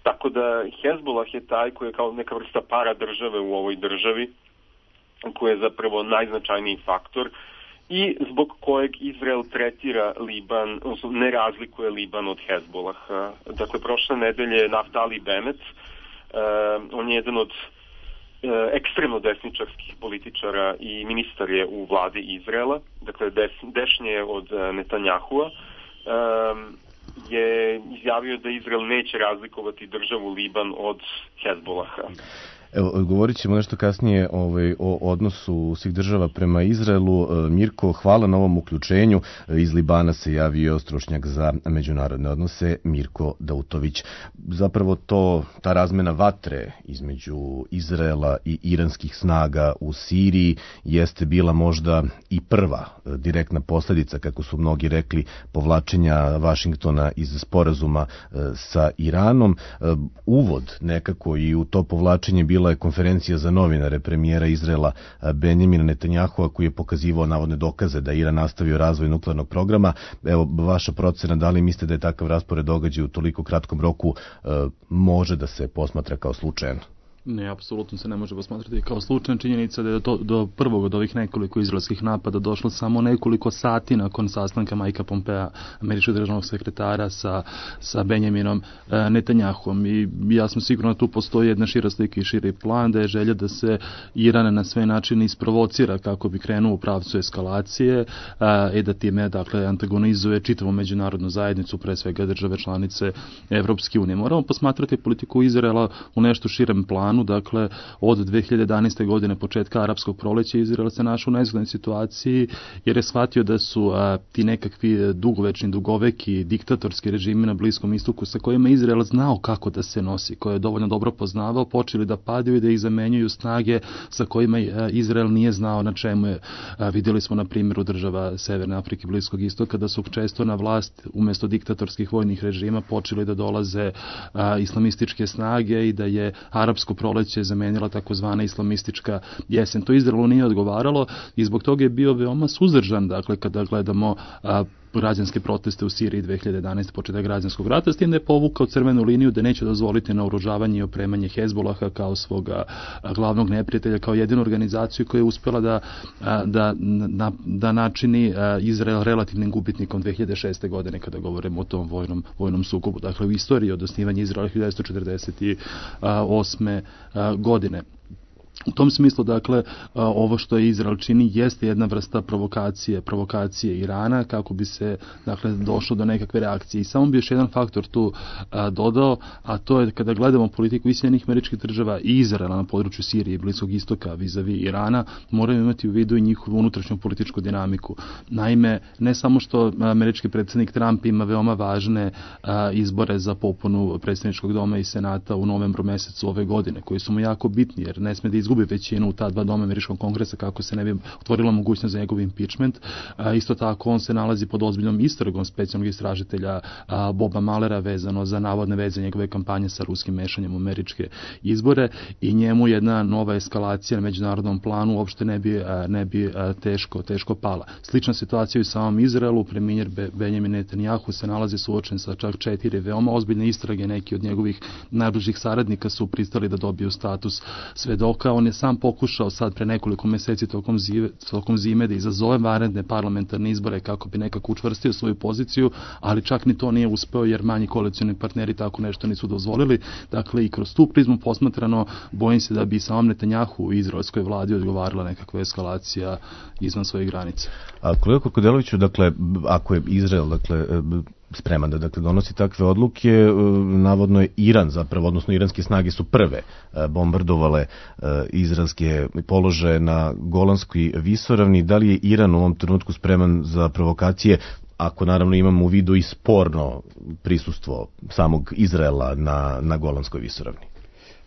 Tako da Hezbollah je taj koji je kao neka vrsta para države u ovoj državi, koji je zapravo najznačajniji faktor i zbog kojeg Izrael tretira Liban, odnosno ne razlikuje Liban od Hezbollaha. Dakle, prošle nedelje Naftali Bennett, uh, on je jedan od uh, ekstremno desničarskih političara i ministar je u vladi Izraela, dakle des, dešnje od uh, Netanjahua, uh, je izjavio da Izrael neće razlikovati državu Liban od Hezbollaha. Evo, govorit ćemo nešto kasnije ovaj, o odnosu svih država prema Izraelu. Mirko, hvala na ovom uključenju. Iz Libana se javio stručnjak za međunarodne odnose Mirko Dautović. Zapravo to, ta razmena vatre između Izraela i iranskih snaga u Siriji jeste bila možda i prva direktna posljedica, kako su mnogi rekli, povlačenja Vašingtona iz sporazuma sa Iranom. Uvod nekako i u to povlačenje bila je konferencija za novinare premijera Izraela Benjamina Netanjahua, koji je pokazivao navodne dokaze da Iran nastavio razvoj nuklearnog programa. Evo, vaša procena, da li mislite da je takav raspored događaja u toliko kratkom roku e, može da se posmatra kao slučajan? Ne, apsolutno se ne može posmatrati kao slučajna činjenica da je do, do prvog od ovih nekoliko izraelskih napada došlo samo nekoliko sati nakon sastanka Majka Pompea, američkog državnog sekretara, sa, sa Benjaminom e, Netanjahuom. I ja sam siguran da tu postoji jedna šira slika i širi plan, da je želja da se Iran na sve načine isprovocira kako bi krenuo u pravcu eskalacije e, i da time, dakle, antagonizuje čitavu međunarodnu zajednicu, pre svega države članice Evropske unije. Moramo posmatrati politiku Izraela u nešto širem planu. Dakle, od dve hiljade jedanaeste. godine, početka arapskog proleća, Izrael se našao u nezgodnoj situaciji jer je shvatio da su a, ti nekakvi dugovečni, dugoveki, diktatorski režimi na Bliskom istoku sa kojima Izrael znao kako da se nosi, koje je dovoljno dobro poznavao, počeli da padaju i da ih zamenjuju snage sa kojima a, Izrael nije znao na čemu je. A, vidjeli smo na primjeru država Severne Afrike, Bliskog istoka, da su često na vlast umjesto diktatorskih vojnih režima počeli da dolaze a, islamističke snage i da je arapsko proleće zamenila takozvana islamistička jesen. To Izraelu nije odgovaralo i zbog toga je bio veoma suzdržan, dakle, kada gledamo a, građanske proteste u Siriji dve hiljade jedanaeste. početak građanskog rata, s tim da je povukao crvenu liniju da neće dozvoliti naoružavanje i opremanje Hezbollaha kao svoga glavnog neprijatelja, kao jedinu organizaciju koja je uspjela da, da, da, da načini Izrael relativnim gubitnikom dve hiljade šeste. godine kada govorimo o tom vojnom, vojnom sukobu. Dakle, u istoriji od osnivanja Izraela hiljadu devetsto četrdeset osme. godine. U tom smislu, dakle, ovo što je Izrael čini jeste jedna vrsta provokacije, provokacije Irana kako bi se, dakle, došlo do nekakve reakcije. I samo bi još jedan faktor tu a, dodao, a to je kada gledamo politiku Sjedinjenih Američkih Država i Izraela na području Sirije i Bliskog istoka vizavi Irana, moramo imati u vidu i njihovu unutrašnju političku dinamiku. Naime, ne samo što američki predsjednik Trump ima veoma važne a, izbore za popunu predsjedničkog doma i senata u novembru mesecu ove godine, koji su mu jako bitni, jer ne sme da izgubi većinu u ta dva doma američkog kongresa kako se ne bi otvorila mogućnost za njegov impeachment. Isto tako on se nalazi pod ozbiljnom istragom specijalnog istražitelja Boba Malera vezano za navodne veze njegove kampanje sa ruskim mešanjem u američke izbore i njemu jedna nova eskalacija na međunarodnom planu uopšte ne bi, ne bi teško, teško pala. Slična situacija u samom Izraelu, premijer Benjamin Netanjahu se nalazi suočen sa čak četiri veoma ozbiljne istrage, neki od njegovih najbližih saradnika su pristali da dobiju status svedoka. On je sam pokušao sad pre nekoliko meseci tokom, zive, tokom zime da izazove vanredne parlamentarne izbore kako bi nekako učvrstio svoju poziciju, ali čak ni to nije uspeo jer manji koalicioni partneri tako nešto nisu dozvolili. Dakle, i kroz tu prizmu posmatrano, bojim se da bi samom Netanjahu u izraelskoj vladi odgovarala nekakva eskalacija izvan svojih granica. A kolega Korkodeloviću, dakle, ako je Izrael, dakle, spreman da dakle donosi takve odluke, navodno je Iran zapravo, odnosno iranske snage su prve bombardovale izraelske položaje na Golanskoj visoravni. Da li je Iran u ovom trenutku spreman za provokacije, ako naravno imamo u vidu i sporno prisustvo samog Izraela na, na Golanskoj visoravni?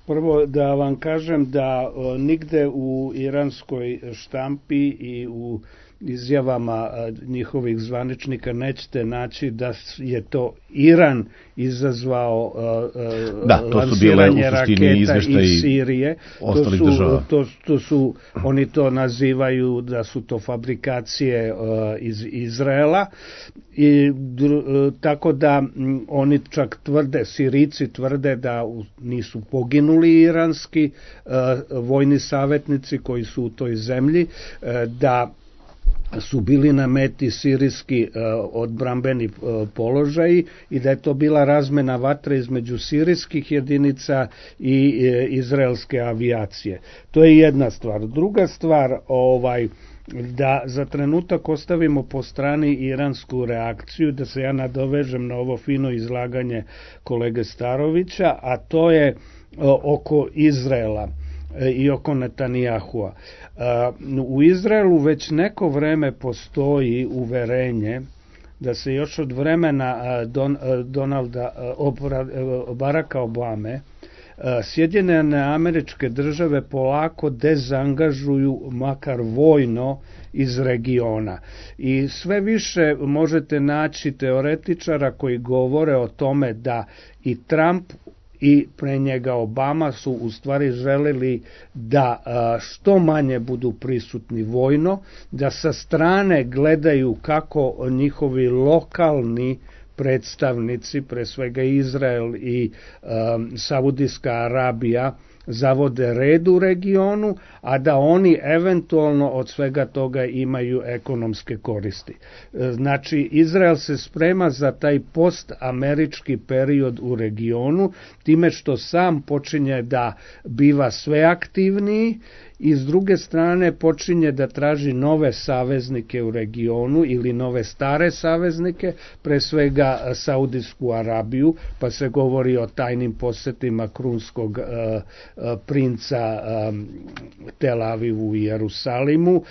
Prvo da vam kažem da o, nigde u iranskoj štampi i u izjavama a, njihovih zvaničnika nećete naći da je to Iran izazvao a, a, da, to su bile u suštini izveštaji iz Sirije. ostalih to su, država. To, to su, oni to nazivaju da su to fabrikacije a, iz Izraela. I dru, tako da m, oni čak tvrde, Sirijci tvrde da u, nisu poginuli iranski a, vojni savjetnici koji su u toj zemlji, a, da su bili na meti sirijski uh, odbrambeni uh, položaji i da je to bila razmena vatre između sirijskih jedinica i uh, izraelske avijacije. To je jedna stvar. Druga stvar, ovaj, da za trenutak ostavimo po strani iransku reakciju, da se ja nadovežem na ovo fino izlaganje kolege Starovića, a to je uh, oko Izraela i oko Netanjahua. U Izraelu već neko vreme postoji uverenje da se još od vremena Don, Donalda Baracka Obame Sjedinjene Američke Države polako dezangažuju makar vojno iz regiona. I sve više možete naći teoretičara koji govore o tome da i Trump i pre njega Obama su u stvari želeli da što manje budu prisutni vojno, da sa strane gledaju kako njihovi lokalni predstavnici, pre svega Izrael i um, Saudijska Arabija, zavode red u regionu, a da oni eventualno od svega toga imaju ekonomske koristi. Znači, Izrael se sprema za taj postamerički period u regionu, time što sam počinje da biva sve aktivniji i s druge strane počinje da traži nove saveznike u regionu ili nove stare saveznike, pre svega Saudijsku Arabiju, pa se govori o tajnim posetima krunskog uh, princa um, Tel Avivu i Jerusalimu, uh,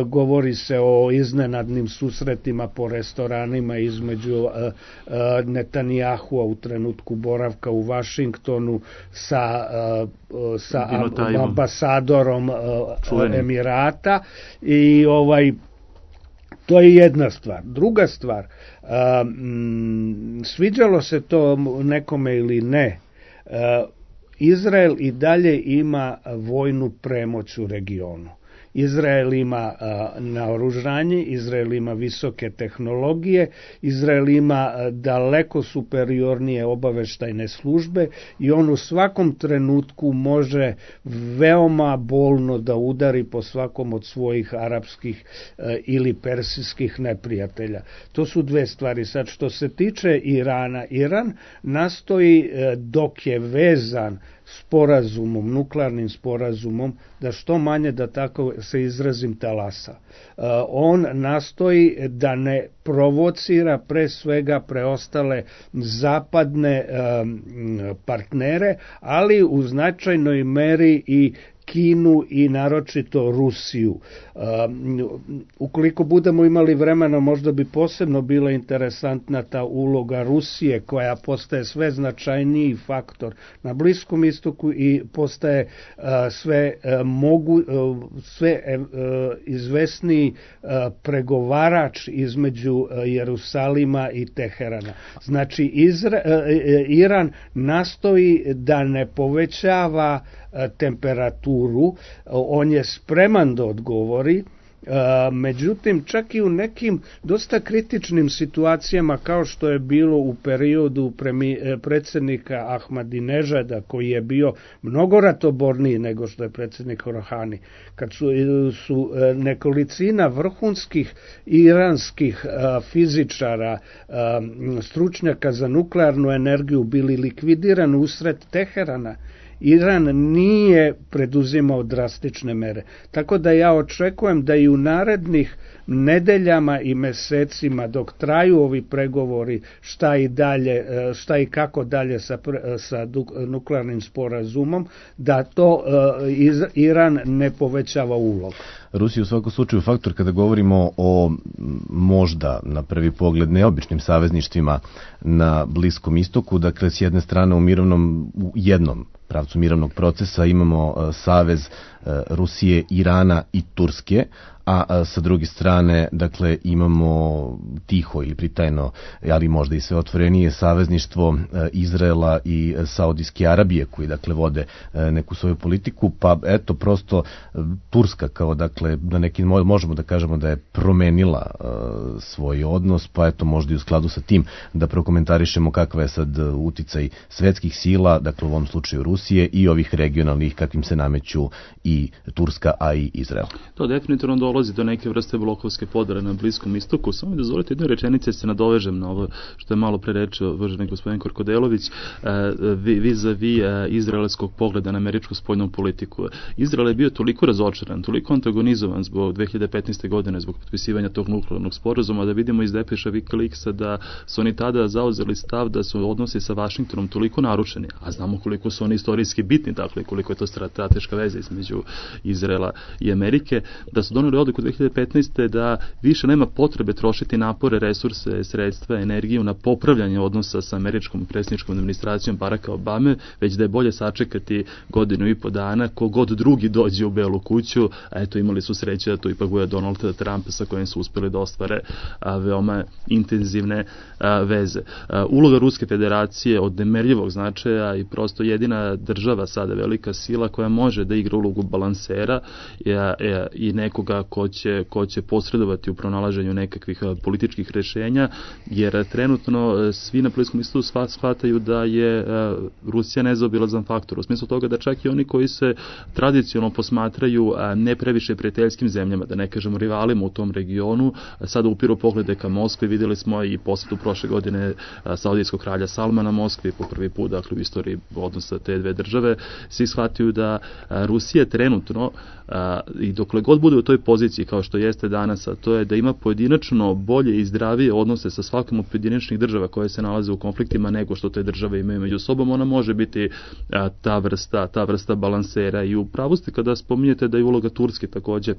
govori se o iznenadnim susretima po restoranima između uh, uh, Netanjahua u trenutku boravka u Vašingtonu sa, uh, sa ambasadorom uh, Emirata i ovaj to je jedna stvar. Druga stvar, um, sviđalo se to nekome ili ne, uh, Izrael i dalje ima vojnu premoć u regionu. Izrael ima a, naoružanje, Izrael ima visoke tehnologije, Izrael ima a, daleko superiornije obaveštajne službe i on u svakom trenutku može veoma bolno da udari po svakom od svojih arapskih a, ili persijskih neprijatelja. To su dve stvari. Sad, što se tiče Irana, Iran nastoji a, dok je vezan sporazumom, nuklearnim sporazumom, da što manje, da tako se izrazim, talasa. Uh, on nastoji da ne provocira pre svega preostale zapadne um, partnere, ali u značajnoj meri i Kinu i naročito Rusiju. Ukoliko budemo imali vremena, možda bi posebno bila interesantna ta uloga Rusije, koja postaje sve značajniji faktor na Bliskom istoku i postaje sve mogu, sve izvesniji pregovarač između Jerusalima i Teherana. Znači, Izra, Iran nastoji da ne povećava temperaturu, on je spreman da odgovori, međutim čak i u nekim dosta kritičnim situacijama, kao što je bilo u periodu predsjednika Ahmadinežada, koji je bio mnogo ratoborniji nego što je predsjednik Rohani, kad su, su nekolicina vrhunskih iranskih fizičara, stručnjaka za nuklearnu energiju bili likvidirani usred Teherana, Iran nije preduzimao drastične mere. Tako da ja očekujem da i u narednih nedeljama i mesecima, dok traju ovi pregovori, šta i dalje, šta i kako dalje sa, sa nuklearnim sporazumom, da to Iran ne povećava ulog. Rusija u svakom slučaju faktor kada govorimo o možda na prvi pogled neobičnim savezništvima na Bliskom istoku. Dakle, s jedne strane u mirovnom, u jednom pravcu mirovnog procesa imamo savez Rusije, Irana i Turske, a sa druge strane, dakle, imamo tiho ili pritajno, ali možda i sve otvorenije savezništvo Izraela i Saudijske Arabije, koji, dakle, vode neku svoju politiku, pa eto, prosto Turska kao, dakle, na neki, možemo da kažemo da je promenila svoj odnos, pa eto, možda i u skladu sa tim da prokomentarišemo kakva je sad uticaj svetskih sila, dakle, u ovom slučaju Rusije i ovih regionalnih kakvim se nameću i Turska, a i Izrael. To definitivno dolazi do neke vrste blokovske podele na Bliskom istoku. Samo mi dozvolite jednu rečenicu, se nadovežem na ovo što je malo pre rečio uvaženi gospodin Korkodelović, vis-a-vis izraelskog pogleda na američku spoljnu politiku. Izrael je bio toliko razočaran, toliko antagonizovan zbog dve hiljade petnaeste. godine, zbog potpisivanja tog nuklearnog sporazuma, da vidimo iz depeša Wikileaksa da su oni tada zauzeli stav da su odnosi sa Vašingtonom toliko narušeni, a znamo koliko su oni istorijski bitni, dakle koliko je to strateška veza između Izraela i Amerike, da su doneli odluku dve hiljade petnaeste. da više nema potrebe trošiti napore, resurse, sredstva, energiju na popravljanje odnosa sa američkom predsjedničkom administracijom Baracka Obame, već da je bolje sačekati godinu i po dana kogod drugi dođe u Belu kuću, a eto imali su sreće da to ipak bude Donald Trump sa kojim su uspeli da ostvare a, veoma intenzivne a, veze. A, uloga Ruske federacije od nemerljivog značaja i prosto jedina država sada, velika sila koja može da igra ulogu balansera je, je, i nekoga ko će, ko će posredovati u pronalaženju nekakvih a, političkih rešenja, jer trenutno svi na Bliskom istoku shvataju da je a, Rusija nezaobilazan faktor, u smislu toga da čak i oni koji se tradicionalno posmatraju a, ne previše prijateljskim zemljama, da ne kažemo rivalima u tom regionu, sada upiru poglede ka Moskvi. Vidjeli smo i posjetu prošle godine a, saudijskog kralja Salmana Moskvi po prvi put, dakle u istoriji odnosa te dve države. Svi shvataju da a, Rusija trenutno a, i dokle god bude u toj poziciji kao što jeste danas, a to je da ima pojedinačno bolje i zdravije odnose sa svakom od pojedinačnih država koje se nalaze u konfliktima nego što te države imaju među sobom, ona može biti a, ta vrsta, ta vrsta balansera. I u pravu ste kada spominjete da je uloga Turske takođe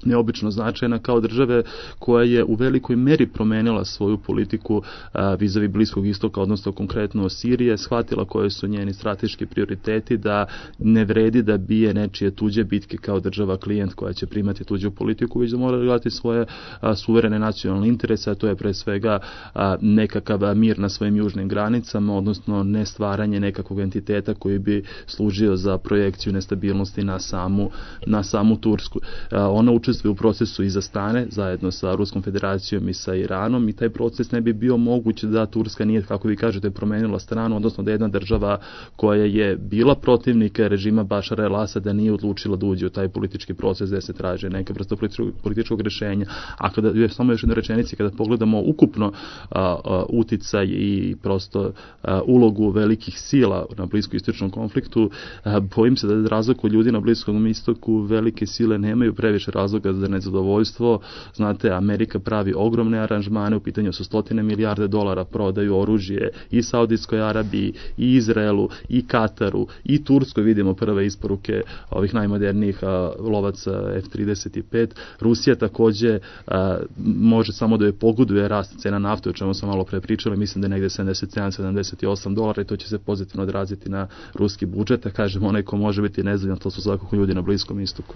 neobično značajna kao države koja je u velikoj meri promenila svoju politiku a, vis-a-vis Bliskog istoka, odnosno konkretno Sirije, shvatila koje su njeni strateški prioriteti, da ne vredi da bije nečije tuđe bitke kao država klijent koja će primati tuđu politiku, već da mora gledati svoje a, suverene nacionalne interese, a to je pre svega a, nekakav mir na svojim južnim granicama, odnosno ne stvaranje nekakvog entiteta koji bi služio za projekciju nestabilnosti na samu, na samu Tursku. A, ona učestvuje u procesu iza stane zajedno sa Ruskom federacijom i sa Iranom i taj proces ne bi bio moguć da Turska nije, kako vi kažete, promenila stranu, odnosno da jedna država koja je bila protivnik režima Bašara el-Asada nije odlučila da uđe u taj politički proces gde se traže neka vrsta političkog, političkog rešenja. A kada je samo još jedna rečenica, kada pogledamo ukupno a, a, uticaj i prosto a, ulogu velikih sila na bliskoistočnom konfliktu, a, bojim se da razliku ljudi na Bliskom istoku velike sile nemaju previše razloga razloga za nezadovoljstvo. Znate, Amerika pravi ogromne aranžmane, u pitanju su stotine milijarde dolara, prodaju oružje i Saudijskoj Arabiji, i Izraelu, i Kataru, i Turskoj, vidimo prve isporuke ovih najmodernijih a, lovaca F trideset pet. Rusija takođe a, može samo da je pogoduje rast cena nafte, o čemu sam malo pre pričali, mislim da je negde sedamdeset sedam sedamdeset osam dolara i to će se pozitivno odraziti na ruski budžet, a kažem, onaj ko može biti nezadovoljan, to su svakako ljudi na Bliskom istoku.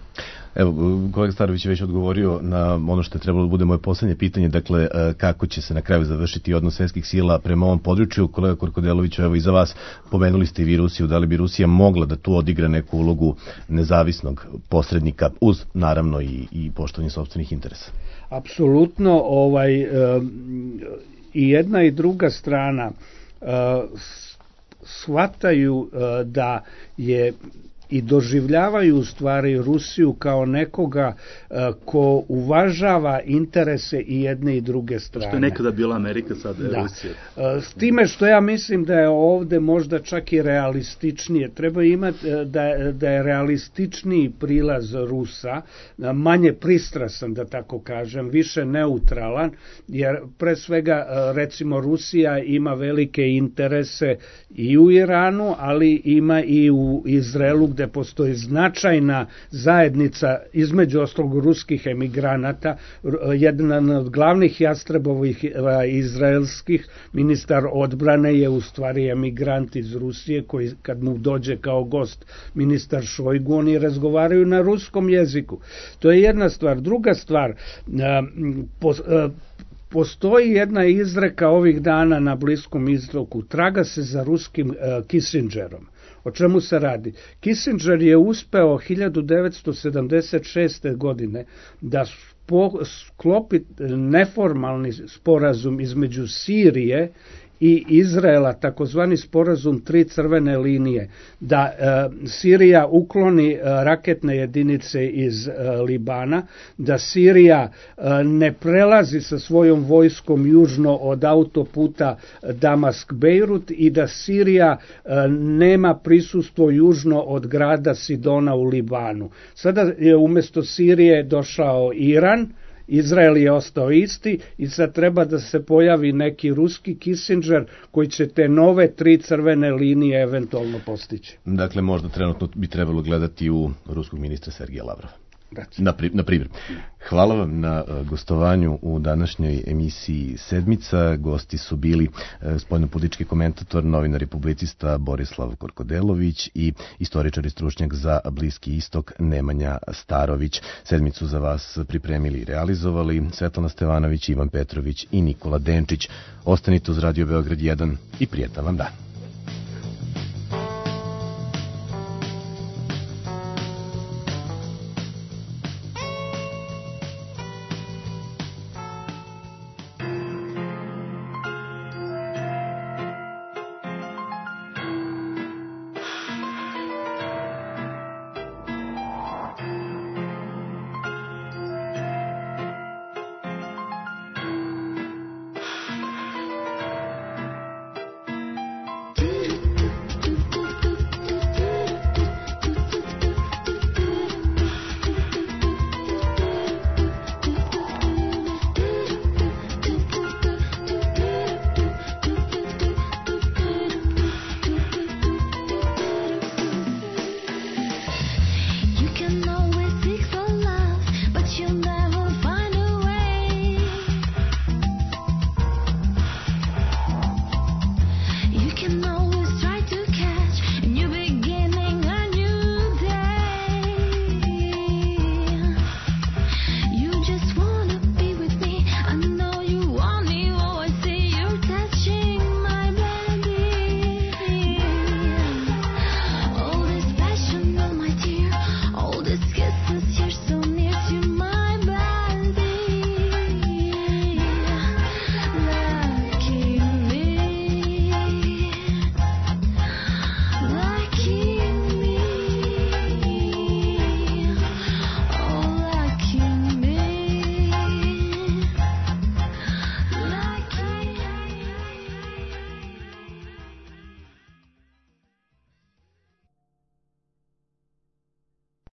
Evo, kolega Starović je već odgovorio na ono što je trebalo da bude moje poslednje pitanje, dakle, kako će se na kraju završiti odnos svetskih sila prema ovom području. Kolega Korkodelović, evo i za vas, pomenuli ste i vi Rusiju, da li bi Rusija mogla da tu odigra neku ulogu nezavisnog posrednika, uz naravno i, i poštovanje sopstvenih interesa? Apsolutno, ovaj, i jedna i druga strana shvataju da je i doživljavaju u stvari Rusiju kao nekoga ko uvažava interese i jedne i druge strane. Što je nekada bila Amerika, sada je da. Rusija. S time što ja mislim da je ovde možda čak i realističnije. Treba imati da, da je realističniji prilaz Rusa, manje pristrasan, da tako kažem, više neutralan, jer pre svega recimo Rusija ima velike interese i u Iranu, ali ima i u Izraelu, gde postoji značajna zajednica između ostalog ruskih emigranata. Jedan od glavnih jastrebovih izraelskih, ministar odbrane, je u stvari emigrant iz Rusije, koji kad mu dođe kao gost ministar Šojgu, oni razgovaraju na ruskom jeziku. To je jedna stvar. Druga stvar, postoji jedna izreka ovih dana na Bliskom istoku, traga se za ruskim Kissingerom. O čemu se radi? Kissinger je uspeo hiljadu devetsto sedamdeset šeste. godine da sklopi neformalni sporazum između Sirije i Izraela, takozvani sporazum tri crvene linije, da e, Sirija ukloni e, raketne jedinice iz e, Libana, da Sirija e, ne prelazi sa svojom vojskom južno od autoputa Damask-Bejrut i da Sirija e, nema prisustvo južno od grada Sidona u Libanu. Sada je umjesto Sirije došao Iran, Izrael je ostao isti i sad treba da se pojavi neki ruski Kissinger koji će te nove tri crvene linije eventualno postići. Dakle, možda trenutno bi trebalo gledati u ruskog ministra Sergeja Lavrova. Na, pri, na primjer. Hvala vam na uh, gostovanju u današnjoj emisiji Sedmica. Gosti su bili uh, spoljnopolitički komentator, novinar i publicista Borislav Korkodelović i istoričar i stručnjak za Bliski istok Nemanja Starović. Sedmicu za vas pripremili i realizovali Svetlana Stevanović, Ivan Petrović i Nikola Denčić. Ostanite uz Radio Beograd jedan i prijetan vam dan.